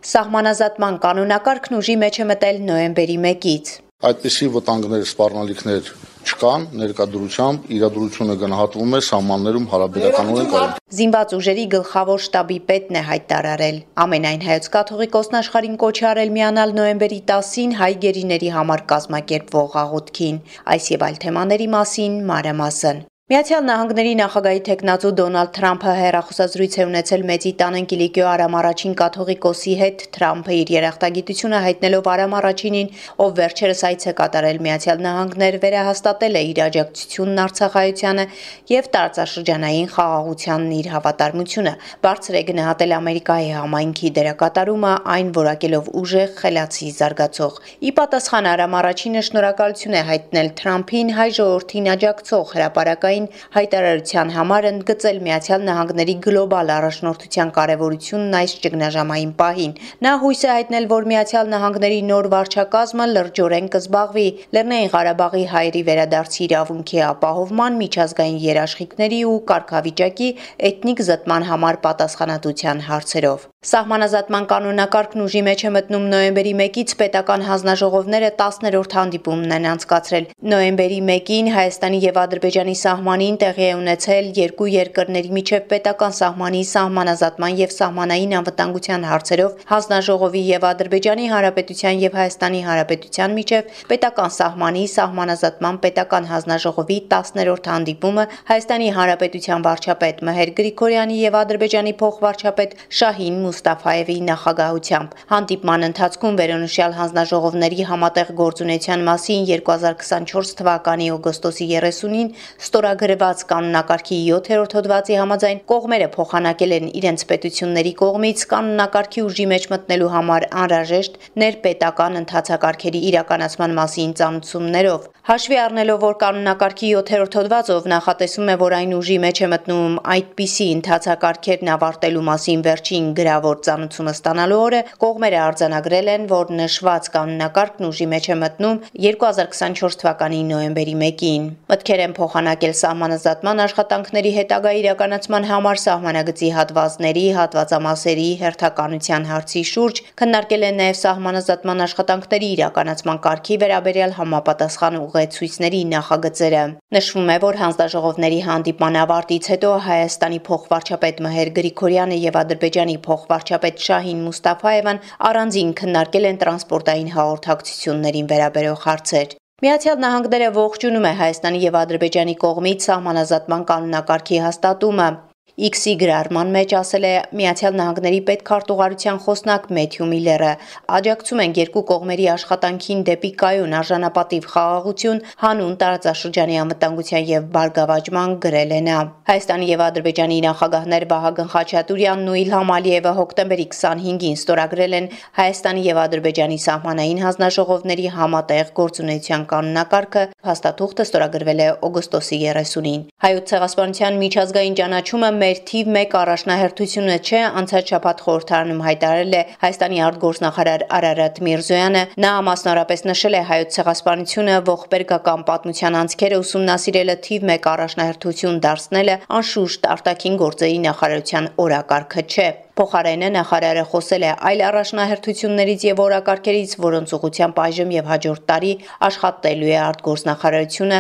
Սահմանազատման կանոնակարգն ուժի մեջ է մտել նոյեմբերի 1-ից։ Այդպիսի վտանգներ, սպառնալիքներ չկան, ներկայությամբ իրադրությունը գնահատվում է սահմաններում հարաբերականորեն կայուն։ Զինված ուժերի գլխավոր շտաբի պետն է հայտարարել։ Ամենայն հայոց կաթողիկոսն աշխարհին կոչ է արել միանալ նոյեմբերի 10-ին հայ գերիների համար կազմակերպվող աղոթքին։ Այս եւ այլ թեմաների մասին մանրամասն։ Միացյալ Նահանգների նախագահի թեկնածու Դոնալդ Թրամփը հեռախոսազրույց է ունեցել Մեծի տան Կիլիկիո Արամ առաջին կաթողիկոսի հետ։ Թրամփը իր երախտագիտությունը հայտնելով Արամ առաջինին, ով վերջերս այց է կատարել Միացյալ Նահանգներ, վերահաստատել է իր աջակցությունն Արցախայությանը եւ տարածաշրջանային խաղաղությանն իր հավատարմությունը։ Բարձր է գնահատել Ամերիկայի համայնքի դերակատարումը, այն որակելով ուժեղ, խելացի, զարգացող։ Ի պատասխան Արամ առաջինը շնորհակալություն է հայտնել Թրամփին հայ ժողովրդին աջակցող հրապարակային հայտարարության համար, ընդգծել Միացյալ Նահանգների գլոբալ առաջնորդության կարևորությունն այս ճգնաժամային պահին։ Նա հույս է հայտնել, որ Միացյալ Նահանգների նոր վարչակազմը լրջորեն կզբաղվի Լեռնային Ղարաբաղի հայերի վերադարձի իրավունքի ապահովման, միջազգային երաշխիքների ու կարգավիճակի էթնիկ զտման համար պատասխանատվության հարցերով։ Սահմանազատման կանոնակարգն ուժի մեջ է մտնում նոյեմբերի 1-ից պետական հանձնաժողովները 10-րդ հանդիպումն են անցկացրել։ Նոյեմբերի 1-ին Հայաստանի եւ Ադրբեջանի սահմանին տեղի է ունեցել երկու երկրների միջև պետական սահմանի սահմանազատման եւ սահմանային անվտանգության հարցերով հանձնաժողովի եւ Ադրբեջանի Հանրապետության եւ Հայաստանի Հանրապետության միջև պետական սահմանի սահմանազատման պետական հանձնաժողովի 10-րդ հանդիպումը Հայաստանի Հանրապետության վարչապետ Մհեր Գրիգորյանի եւ Ադրբեջանի փոխվարչապետ Շահին Մուստաֆաևի նախագահությամբ։ Հանդիպման ընթացքում վերոնշյալ հանձնաժողովների համատեղ գործունեության մասին 2024 թվականի օգոստոսի 30-ին ստորագրված կանոնակարգի 7-րդ հոդվածի համաձայն կողմերը փոխանակել են իրենց պետությունների կողմից կանոնակարգի ուժի մեջ մտնելու համար անհրաժեշտ ներպետական ընթացակարգերի իրականացման մասին ծանուցումներով։ Հաշվի առնելով, որ կանոնակարգի 7-րդ հոդվածով նախատեսում է, որ այն ուժի մեջ է մտնում այդպիսի ընթացակարգերն ավարտելու մասին վերջին գրավոր ծանուցումը ստանալու օրը, կողմերը արձանագրել են, որ նշված կանոնակարգն ուժի մեջ է մտնում 2024 թվականի նոյեմբերի 1-ին։ Մտքեր են փոխանակել սահմանազատման աշխատանքների հետագա իրականացման համար սահմանագծի հատվածների, հատվածամասերի հերթականության հարցի շուրջ, քննարկել են նաև սահմանազատման աշխատանքների իրականացման կարգի վերաբերյալ համապատասխան ուղեցույցների նախագծերը։ Նշվում է, որ հանձնաժողովների հանդիպման ավարտից հետո Հայաստանի փոխվարչապետ Մհեր Գրիգորյանը եւ Ադրբեջանի փոխվարչապետ Շահին Մուստաֆաևան առանձին քննարկել են տրանսպորտային հաղորդակցություններին վերաբերող հարցեր։ Միացյալ Նահանգները ողջունում է Հայաստանի եւ Ադրբեջանի կողմից սահմանազատման կանոնակարգի հաստատումը։ X-ի գրառման մեջ ասել է Միացյալ Նահանգների պետքարտուղարության խոսնակ Մեթյու Միլլերը։ Աջակցում են երկու կողմերի աշխատանքին դեպի կայուն արժանապատիվ խաղաղություն, հանուն տարածաշրջանի անվտանգության եւ բարգավաճման, գրել է նա։ Հայաստանի եւ Ադրբեջանի նախագահներ Վահագն Խաչատուրյանն ու Իլհամ Ալիևը հոկտեմբերի 25-ին ստորագրել են Հայաստանի եւ Ադրբեջանի սահմանային հանձնաժողովների համատեղ գործունեության կանոնակարգը, հաստատուղթը ստորագրվել է օգոստոսի 30-ին։ Հայոց ցեղասպանության միջազգային ճանաչումը մեր թիվ 1 առաջնահերթությունը չէ, անցած շաբաթ խորհրդարանում հայտարարել է Հայաստանի արտգործնախարար Արարատ Միրզոյանը։ Նա մասնավորապես նշել է հայոց ցեղասպանությունը ողբերգական պատմության անցքերը ուսումնասիրելը թիվ 1 առաջնահերթություն դարձնելը անշուշտ արտաքին գործերի նախարարության օրակարգը չէ։ Փոխարենը նախարարը խոսել է այլ առաջնահերթություններից եւ օրակարգերից, որոնց ուղղությամբ այժմ եւ հաջորդ տարի աշխատելու է արտգործնախարարությունը,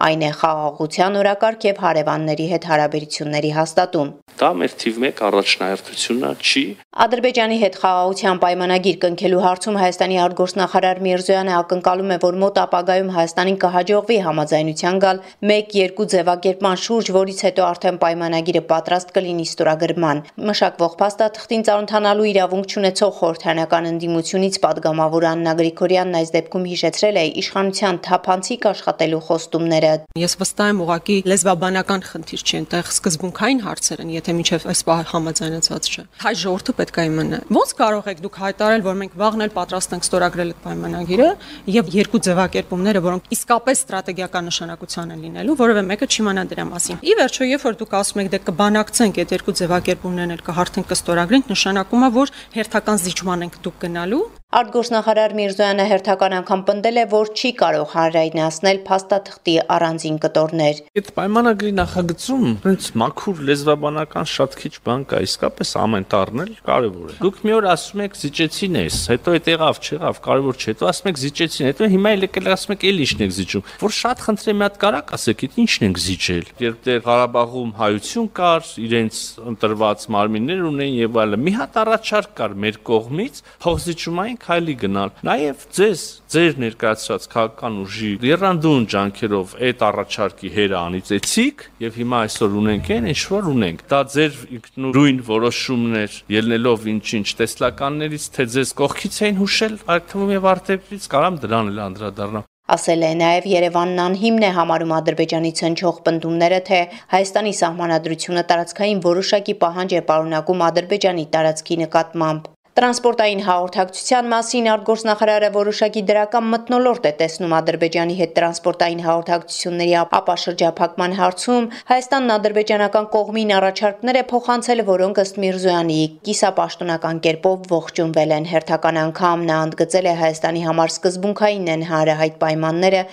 այն է խաղաղության օրակարգ եւ հարևանների հետ հարաբերությունների հաստատում։ Դա մեր թիվ 1 առաջնահերթությունը չի։ Ադրբեջանի հետ խաղաղության պայմանագիր կնքելու հարցում Հայաստանի արտգործնախարար Միրզոյանը ակնկալում է, որ մոտ ապագայում Հայաստանին կհաջողվի համաձայնության գալ 1-2 ձևակերպման շուրջ, որից հետո արդեն պայմանագիրը պատրաստ կլինի ստորագրման։ Մշակվող փաստաթղթին ծանոթանալու իրավունք չունեցող խորհրդարանական ընդդիմությունից падգամավոր Աննա Գրիգորյանն այս դեպքում հիշեցրել է իշխանության թափանցիկ աշխատելու խոստումները։ Ես վստահ եմ, ուղղակի լեզվաբանական խնդիր չի, այնտեղ սկզբունքային հարցեր են, եթե մինչև այս պահը համաձայնեցված չէ։ Հայ ժողովուրդը պետք է իմանա։ Ոնց կարող եք դուք հայտարարել, որ մենք վաղն էլ պատրաստ ենք ստորագրել այդ պայմանագիրը եւ երկու ձևակերպումները, որոնք իսկապես ստրատեգիական նշանակության են լինելու, որովհետեւ մեկը չիմանա դրա մասին։ Ի վերջո, երբ որ դուք ասում եք, դե կբանակցենք այդ երկու ձևակերպումներն էլ կհարթենք կստորագրենք, նշանակում է, որ հերթական զիջման ենք դուք գնալու։ Արտգործնախարար Միրզոյանը հերթական անգամ պնդել է, որ չի կարող հանրայնացնել փաստաթղթի առանձին կտորներ։ Այդ պայմանագրի նախագծում հենց մաքուր լեզվաբանական շատ քիչ բան կա, իսկապես ամեն տառնել կարևոր է։ Դուք մի օր ասում եք զիջեցին ես, հետո այդ եղավ, չեղավ, կարևոր չէ, հետո ասում եք զիջեցին, հետո հիմա եկել ասում եք էլի ինչն եք զիջում։ Որ շատ խնդրեմ մի հատ կարակ ասեք, այդ ինչն եք զիջել։ Երբ դեռ Ղարաբաղում հայություն կար, իրենց ընտրված մարմիններ ունեն եւ այլն։ Մի հատ առաջարկ կար մեր կողմից, փոխզիջումային քայլի գնալ։ Նաև ձեր ներկայացրած քաղաքական ուժի եռանդուն ջանքերով այդ առաջարկի հերը անիծեցիք եւ հիմա այսօր ունենք ինչ որ ունենք։ Դա ձեր ինքնուրույն որոշումներ ելնելով ինչ տեսլականներից, թե ձեզ կողքից էին հուշել, այդ թվում եւ արտերկրից կարամ դրան էլ անդրադառնամ։ Ասել է նաև Երևանն անհիմն է համարում Ադրբեջանից հնչող պնդումները, թե Հայաստանի սահմանադրությունը տարածքային որոշակի պահանջ է պարունակում Ադրբեջանի տարածքի նկատմամբ։ Տրանսպորտային հաղորդակցության մասին արտգործնախարարը որոշակի դրական մթնոլորտ է տեսնում Ադրբեջանի հետ տրանսպորտային հաղորդակցությունների ապաշրջափակման հարցում։ Հայաստանն ադրբեջանական կողմին առաջարկներ է փոխանցել, որոնք ըստ Միրզոյանի կիսապաշտոնական կերպով ողջունվել են։ Հերթական անգամ նա ընդգծել է Հայաստանի համար սկզբունքային են հանրահայտ պայմանները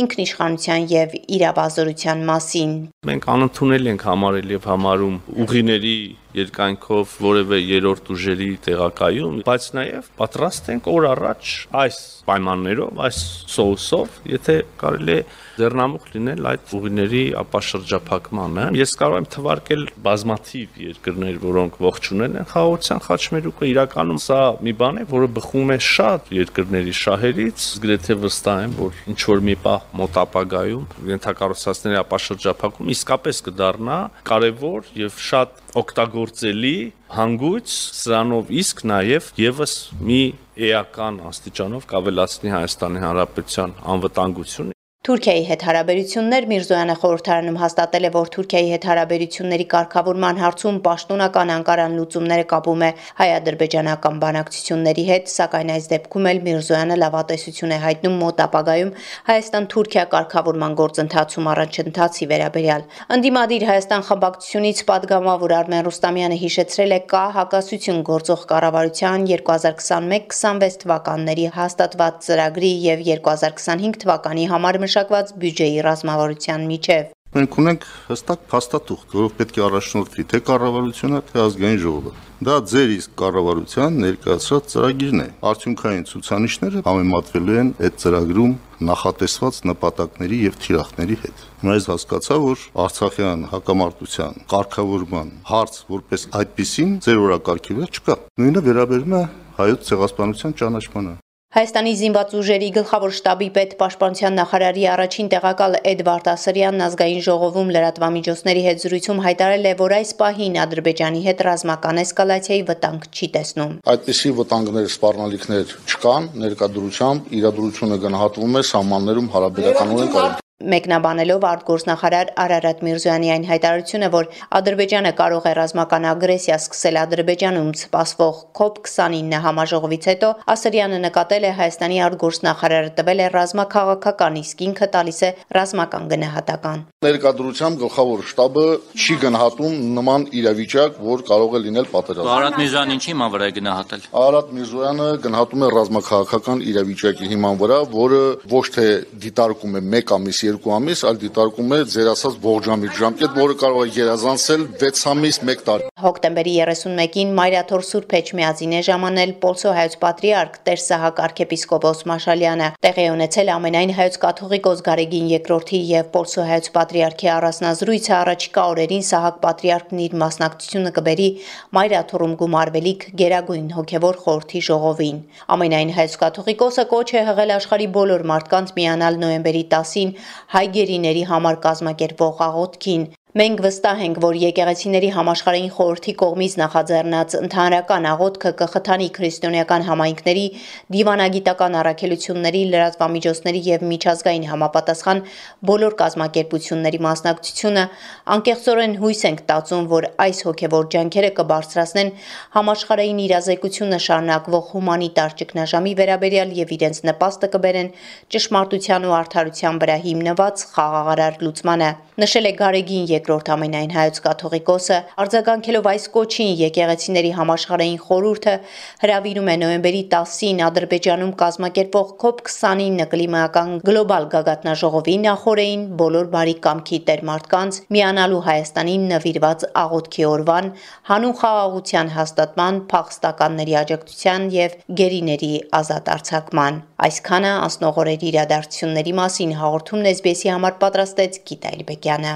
ինքնիշխանության եւ իրավազորության մասին։ Մենք անընդունել ենք համարել եւ համարում ուղիների երկայնքով որևէ երրորդ ուժերի տեղակայում, բայց նաև պատրաստ ենք օր առաջ այս պայմաններով, այս սոուսով, եթե կարելի է ձեռնամուխ լինել այդ ուղիների ապաշրջափակմանը։ Ես կարող եմ թվարկել բազմաթիվ երկրներ, որոնք ողջունել են խաղաղության խաչմերուկը, իրականում սա մի բան է, որը բխում է շատ երկրների շահերից, գրեթե վստահ եմ, որ ինչ որ մի պահ մոտ ապագայում ենթակառուցվածքների ապաշրջափակում իսկապես կդառնա կարևոր եւ շատ օգտագործելի հանգույց, սրանով իսկ նաև եւս մի էական աստիճանով կավելացնի Հայաստանի Հանրապետության անվտանգությունը։ Թուրքիայի հետ հարաբերություններ Միրզոյանը խորհրդարանում հաստատել է, որ Թուրքիայի հետ հարաբերությունների կարգավորման հարցում պաշտոնական Անկարան լուծումները կապում է հայ-ադրբեջանական բանակցությունների հետ, սակայն այս դեպքում էլ Միրզոյանը լավատեսություն է հայտնում մոտ ապագայում Հայաստան-Թուրքիա կարգավորման գործընթացում առաջընթացի վերաբերյալ։ Ընդդիմադիր Հայաստան խմբակցությունից պատգամավոր Արմեն Ռուստամյանը հիշեցրել է կա հակասություն գործող կառավարության 2021-26 թվականների հաստատված ծրագրի եւ 2025 թվականի համար մշակված բյուջեի ռազմավարության միջև։ Մենք ունենք հստակ փաստաթուղթ, որով պետք է առաջնորդվի թե կառավարությունը, թե ազգային ժողովը։ Դա ձեր իսկ կառավարության ներկայացրած ծրագիրն է։ Արդյունքային ցուցանիշները համեմատվելու են այդ ծրագրում նախատեսված նպատակների եւ թիրախների հետ։ Հիմա ես հասկացա, որ Արցախյան հակամարտության կարգավորման հարց որպես այդպիսին ձեր օրակարգի վրա չկա։ Նույնը վերաբերում է հայոց ցեղասպանության ճանաչմանը։ Հայաստանի զինված ուժերի գլխավոր շտաբի պետ պաշտպանության նախարարի առաջին տեղակալ Էդվարդ Ասրյանն ազգային ժողովում լրատվամիջոցների հետ զրույցում հայտարարել է, որ այս պահին Ադրբեջանի հետ ռազմական էսկալացիայի վտանգ չի տեսնում։ Այդպիսի վտանգներ, սպառնալիքներ չկան, ներկայությամբ իրադրությունը գնահատվում է սահմաններում հարաբերականորեն կայուն։ Մեկնաբանելով արտգործնախարար Արարատ Միրզոյանի այն հայտարարությունը, որ Ադրբեջանը կարող է ռազմական ագրեսիա սկսել Ադրբեջանում սպասվող COP29 համաժողովից հետո, Ասրյանը նկատել է Հայաստանի արտգործնախարարը տվել է ռազմաքաղաքական, իսկ ինքը տալիս է ռազմական գնահատական։ Ներկայությամբ գլխավոր շտաբը չի գնահատում նման իրավիճակ, որ կարող է լինել պատերազմ։ Արարատ Միրզոյանը ինչի հիման վրա է գնահատել։ Արարատ Միրզոյանը գնահատում է ռազմաքաղաքական իրավիճակի հիման վրա, որը ոչ թե դիտարկում է 1 ամիս 2 ամիս, այլ դիտարկում է ձեր ասած ողջամիտ ժամկետ, որը կարող է գերազանցել 6 ամիս 1 տարի։ Հոկտեմբերի 31-ին Մայրաթոր Սուրբ Էջմիածին է ժամանել Պոլսո հայոց պատրիարք Տեր Սահակ arczepiskopos Մաշալյանը։ Տեղի ունեցել ամենայն հայոց կաթողիկոս Գարեգին II-ի եւ Պոլսո հայոց պատրիարքի առանձնազրույցը առաջիկա օրերին Սահակ պատրիարքն իր մասնակցությունը կբերի Մայրաթորում գումարվելիք Գերագույն հոգևոր խորհրդի ժողովին։ Ամենայն հայոց կաթողիկոսը կոչ է հղել աշխարհի բոլոր մարդկանց միանալ նոյեմբերի 10-ին հայ գերիների համար կազմակերպվող աղոթքին։ Մենք վստահ ենք, որ եկեղեցիների համաշխարհային խորհրդի կողմից նախաձեռնած ընդհանրական աղոթքը կխթանի քրիստոնեական համայնքների, դիվանագիտական առաքելությունների, լրատվամիջոցների եւ միջազգային համապատասխան բոլոր կազմակերպությունների մասնակցությունը, անկեղծորեն հույս ենք տածում, որ այս հոգեվոր ջանքերը կբարձրացնեն համաշխարհային իրազեկությունը շարունակվող հումանիտար ճգնաժամի վերաբերյալ եւ իրենց նպաստը կբերեն ճշմարտության ու արդարության վրա հիմնված խաղաղարար լուծմանը, նշել է Գարեգին II ամենայն հայոց կաթողիկոսը արձագանքելով այս կոչին եկեղեցիների համաշխարհային խորհուրդը հրավիրում է նոյեմբերի 10-ին Ադրբեջանում կազմակերպվող COP29 կլիմայական գլոբալ գագաթնաժողովի նախօրեին բոլոր բարի կամքի տեր մարդկանց միանալու Հայաստանին նվիրված աղոթքի օրվան, հանուն խաղաղության հաստատման, փախստականների աջակցության եւ գերիների ազատ արձակման։ Այսքանը անցնող օրերի իրադարձությունների մասին հաղորդումն SBS-ի համար պատրաստեց Գիտա Իլբեկյանը։